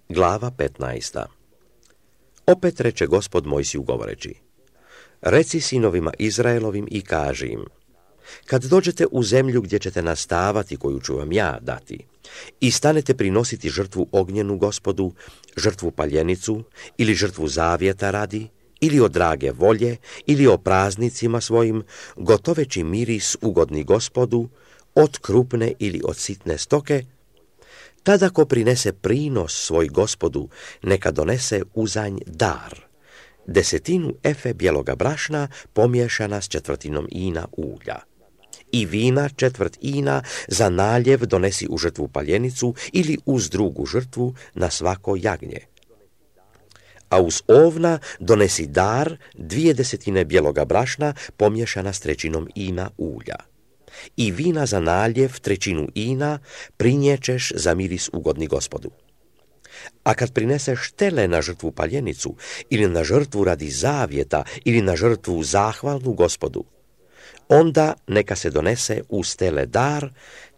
Glava 15. Opet reče Gospod Mojsiju govoreći: Reci sinovima Izraelovim i kaži im: kad dođete u zemlju gdje ćete nastavati, koju ću vam ja dati, i stanete prinositi žrtvu ognjenu Gospodu, žrtvu paljenicu ili žrtvu zavjeta radi, ili od drage volje, ili o praznicima svojim, gotoveći miris ugodni Gospodu, od krupne ili od sitne stoke, tada ko prinese prinos svoj Gospodu, neka donese uzanj dar, 10 efe bijeloga brašna pomiješana s 1/4 ina ulja. I vina 1/4 ina za naljev donesi u žrtvu paljenicu ili uz drugu žrtvu na svako jagnje. A uz ovna donesi dar 2/10 bijeloga brašna pomiješana s 1/3 ina ulja. I vina za naljev 1/3 ina priniječeš za miris ugodni Gospodu. A kad prineseš tele na žrtvu paljenicu ili na žrtvu radi zavjeta ili na žrtvu zahvalnu Gospodu, onda neka se donese uz tele dar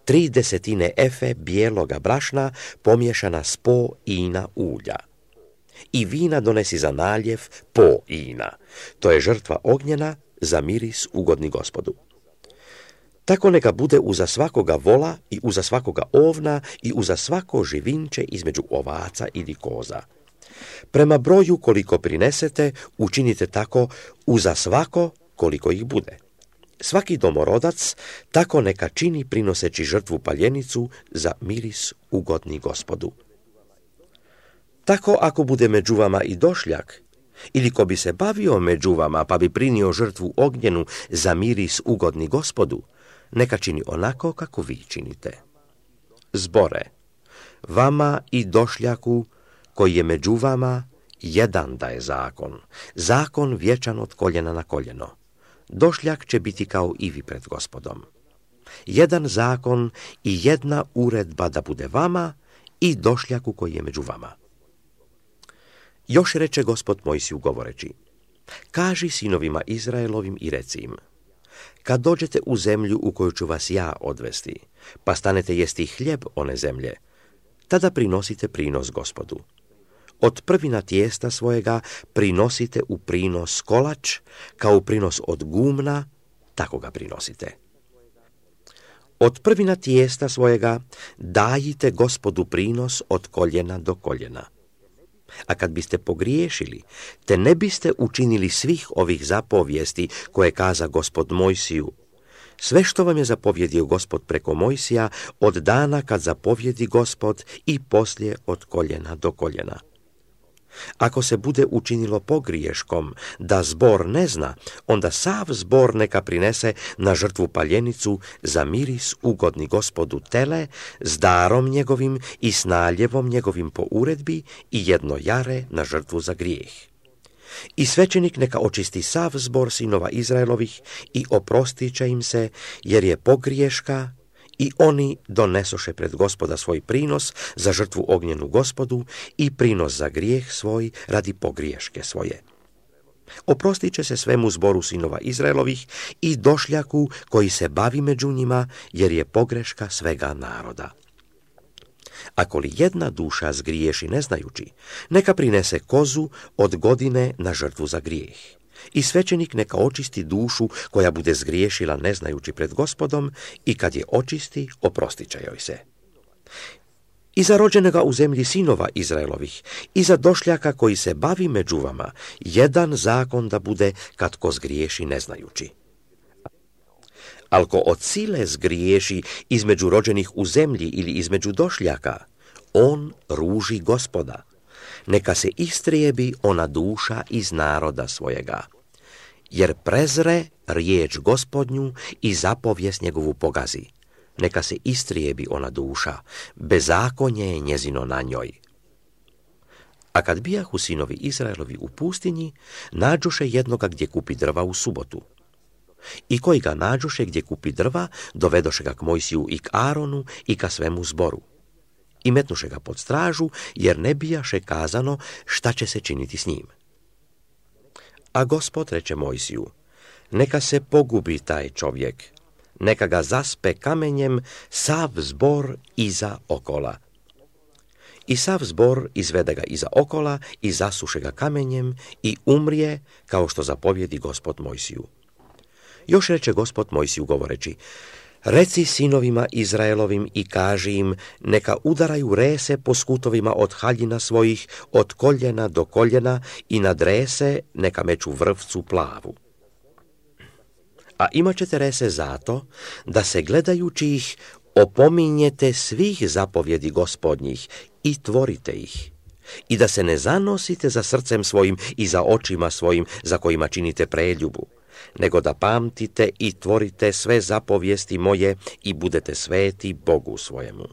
3/10 efe bijeloga brašna pomiješana s po ina ulja. I vina donesi za naljev po ina. To je žrtva ognjena za miris ugodni Gospodu. Tako neka bude uza svakoga vola i uza svakoga ovna i uza svako živinče između ovaca ili koza. Prema broju koliko prinesete, učinite tako uza svako koliko ih bude. Svaki domorodac tako neka čini prinoseći žrtvu paljenicu za miris ugodni Gospodu. Tako ako bude među vama i došljak, ili ko bi se bavio među vama pa bi prinio žrtvu ognjenu za miris ugodni Gospodu, neka čini onako kako vi činite. Zbore, vama i došljaku koji je među vama, jedan da je zakon, zakon vječan od koljena na koljeno. Došljak će biti kao i vi pred Gospodom. Jedan zakon i jedna uredba da bude vama i došljaku koji je među vama. Još reče Gospod Mojsiju govoreći: kaži sinovima Izraelovim i reci im: kad dođete u zemlju u koju ću vas ja odvesti, pa stanete jesti hljeb one zemlje, tada prinosite prinos Gospodu. Od prvina tijesta svojega prinosite u prinos kolač, kao u prinos od gumna, tako ga prinosite. Od prvina tijesta svojega dajite Gospodu prinos od koljena do koljena. A kad biste pogriješili, te ne biste učinili svih ovih zapovijesti koje kaza Gospod Mojsiju, sve što vam je zapovjedio Gospod preko Mojsija od dana kad zapovjedi Gospod i poslije od koljena do koljena. Ako se bude učinilo pogriješkom da zbor ne zna, onda sav zbor neka prinese na žrtvu paljenicu za miris ugodni Gospodu tele s darom njegovim i s naljevom njegovim po uredbi i jedno jare na žrtvu za grijeh. I svećenik neka očisti sav zbor sinova Izraelovih i oprostit će im se, jer je pogriješka, i oni donesoše pred Gospoda svoj prinos za žrtvu ognjenu Gospodu i prinos za grijeh svoj radi pogriješke svoje. Oprostit će se svemu zboru sinova Izraelovih i došljaku koji se bavi među njima, jer je pogreška svega naroda. Ako li jedna duša zgriješi ne znajući, neka prinese kozu od godine na žrtvu za grijeh. I svećenik neka očisti dušu koja bude zgriješila ne znajući pred Gospodom i kad je očisti, oprostit će joj se. I za rođenoga u zemlji sinova Izraelovih i za došljaka koji se bavi među vama, jedan zakon da bude kad ko zgriješi ne znajući. Al ko od sile zgriješi između rođenih u zemlji ili između došljaka, on ruži Gospoda. Neka se istrijebi ona duša iz naroda svojega, jer prezre riječ Gospodnju i zapovijest njegovu pogazi. Neka se istrijebi ona duša, bezakonje je njezino na njoj. A kad bijahu sinovi Izraelovi u pustinji, nađoše jednoga gdje kupi drva u subotu. I koji ga nađoše gdje kupi drva, dovedoše ga k Mojsiju i k Aronu i ka svemu zboru. I metnuše ga pod stražu, jer ne bijaše kazano šta će se činiti s njim. A Gospod reče Mojsiju: neka se pogubi taj čovjek, neka ga zaspe kamenjem sav zbor iza okola. I sav zbor izvede ga iza okola i zasuše ga kamenjem i umrije, kao što zapovjedi Gospod Mojsiju. Još reče Gospod Mojsiju govoreći: reci sinovima Izraelovim i kaži im, neka udaraju rese po skutovima od haljina svojih, od koljena do koljena, i nad rese neka meću vrvcu plavu. A imat ćete rese zato, da se gledajući ih opominjete svih zapovjedi Gospodnjih i tvorite ih, i da se ne zanosite za srcem svojim i za očima svojim za kojima činite preljubu, nego da pamtite i tvorite sve zapovijesti moje i budete sveti Bogu svojemu.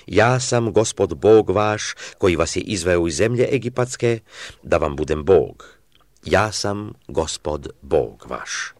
Ja sam Gospod Bog vaš, koji vas je izveo iz zemlje egipatske, da vam budem Bog. Ja sam Gospod Bog vaš.